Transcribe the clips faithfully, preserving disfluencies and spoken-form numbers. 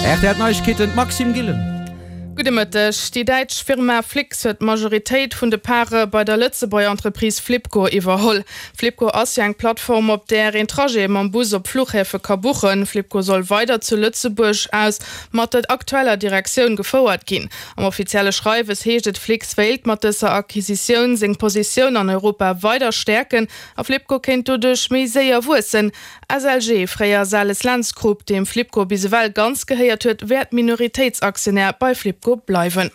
R T L Neiegkeeten, d'Maxime Gillen. Gudde Mëtteg. Déi däitsch Firma Flix huet d'Majoritéit vun de Pare bei der Lëtzebuerger Entreprise Flibco iwwerholl. Flibco ass jo eng Plattform, op där een Trajete mam Bus op Fluchhäfe ka buchen. Flibco soll weider zu Lëtzebuerg aus mat der aktueller Direktioun gefouert ginn. Am offizielle Schreiwes heescht et, Flix wéilt mat dëser Acquisitioun seng Positioun an Europa weider stäerken a Flibco kéint doduerch méi séier wuessen. S L G, fréier Sales-Lentz Group, deem Flibco bis ewell ganz gehéiert huet, wäert Minoritéitsaktionär bei Flibco bleiwen.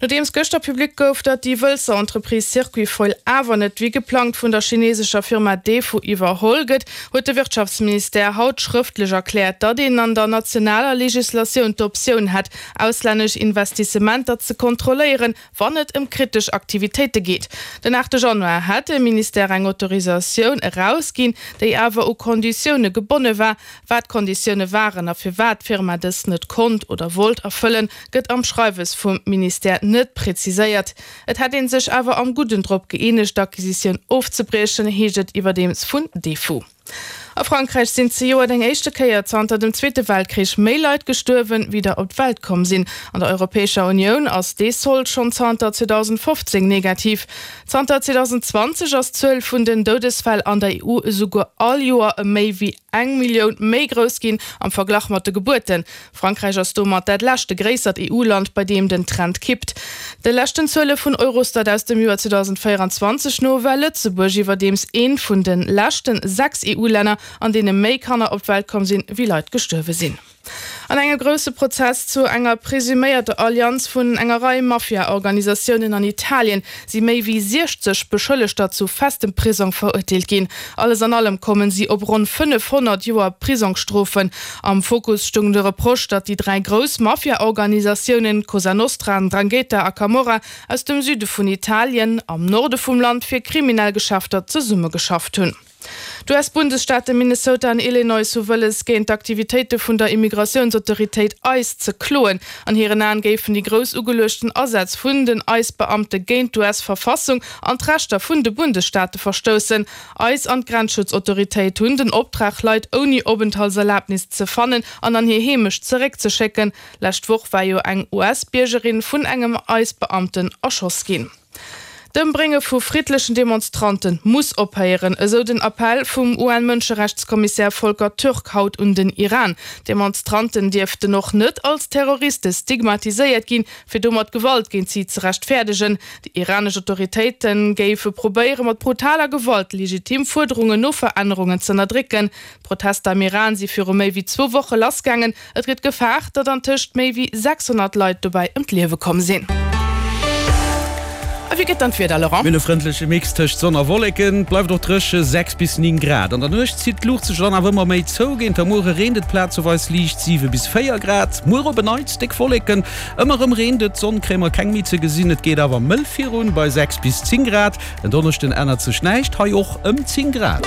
Nodeems gëschter public gouf, datt déi Wëlzer Entreprise Circuitfoil awer net wéi geplangt vun der chinesescher Firma Defu iwwerholl gëtt, huet de Wirtschaftsministère haut schrëftlech erkläert, datt een an der nationaler Legislatioun d'Optioun hätt, auslännesch Investissementer ze kontrolléieren, wann et ëm kritesch Aktivitéite geet. Den aachte Januar hätt de Ministère eng Autorisatioun erausginn, déi awer u Konditioune gebonne war. Wat d'Konditioune waren a firwat d'Firma dës net konnt oder wollt erfëllen, gëtt am Schreiwes vum Ministère net präziséiert. Et hätt ee sech awer am Gudden drop gëeenegt, d'Acquisitioun ofzebriechen, heescht et iwwerdeems vun Defu. A Frankräich sinn zejoert eng éischte Kéier zanter dem Zweete Weltkrich méi Leit gestuerwen, wéi der op d'Welt komm sinn. An der Europäescher Unioun ass dee Sold schonn zanter zweedausendfofzéng negativ. Zanter zweedausendzwanzeg ass d'Zuel vun den Doudesfäll an der E U esouguer all Joer ëm méi wéi eng Millioun méi grouss ginn am Verglach mat de Gebuerten. Frankräich ass domat dat leschte gréissert E U-Land, bei deem den Trend kippt. De leschten Zuele vun Eurostat aus dem Joer zweedausendvéierenzwanzeg no war Lëtzebuerg iwwerdeems eent vun de leschten sechs E U-Länner, an deene méi Kanner op d'Welt komm sinn, wéi Leit gestuerwe sinn. An engem grousse Prozess zu enger presuméierter Allianz vun enger Rei Mafia-Organisatiounen an Italien si méi wéi siechzeg Beschëllegter zu festem Prisong verurteelt ginn. Alles an allem kommen si op ronn fënnefhonnert Joer Prisongsstrofen. Am Fokus stoung de Reproche, datt déi dräi grouss Mafia-Organisatiounen Cosa Nostra, Ndrangheta a Camorra aus dem Süde vun Italien am Norde vum Land fir kriminell Geschäfter zesummegeschafft hunn. D'U S-Bundesstaate Minnesota an Illinois hu wëlles, géint d'Aktivitéite vun der Immigratiounsautoritéit ICE ze kloen. An hiren Aen géifen déi grouss ugeluechten Asätz vun den ICE-Beamte géint d'U S-Verfassung an d'Rechter vun de Bundesstaate verstoussen. ICE an d'Grenzschutzautoritéit hunn den Optrag, Leit ouni Openthaltserlabnis ze fannen an an hir Heemecht zeréckzeschécken. Lescht Woch war jo eng U S-Biergerin vun engem ICE-Beamten erschoss ginn. D'Ëmbrénge vu friddlechen Demonstrante muss ophéieren, esou den Appell vum U N-Mënscherechtskommissär Volker Türk haut un den Iran. Demonstranten dierften och net als Terroriste stigmatiséiert ginn, fir domat Gewalt géint si ze rechtfäerdegen. Déi iranesch Autoritéite géife probéiere mat brutaler Gewalt legitim Fuerderungen no Verännerungen z'ënnerdrécken. D'Protester am Iran si viru méi wéi zwou Woche lassgaangen. Et gëtt gefaart, datt antëscht méi wéi sechshonnert Leit dobäi ëm d'Liewe komm sinn. A wéi gëtt dann d'Wieder, Laurent? Mir hunn e frëndleche Mix tëscht Sonn a Wolleken, et bleift och dréche, sechs bis néng Grad. An der Nuecht zitt d'Luucht sech dann awer ëmmer méi zou, géint der Muere reent et plazeweis liicht, siwe bis véier Grad. Muer op en Neits déck Wolleken, ëmmer erëm reent et, d'Sonn kréie mer keng méi ze gesinn, et geet awer mëll virun bei sechs bis zéng Grad. En Donneschden ännert sech näischt, hei och ëm zéng Grad.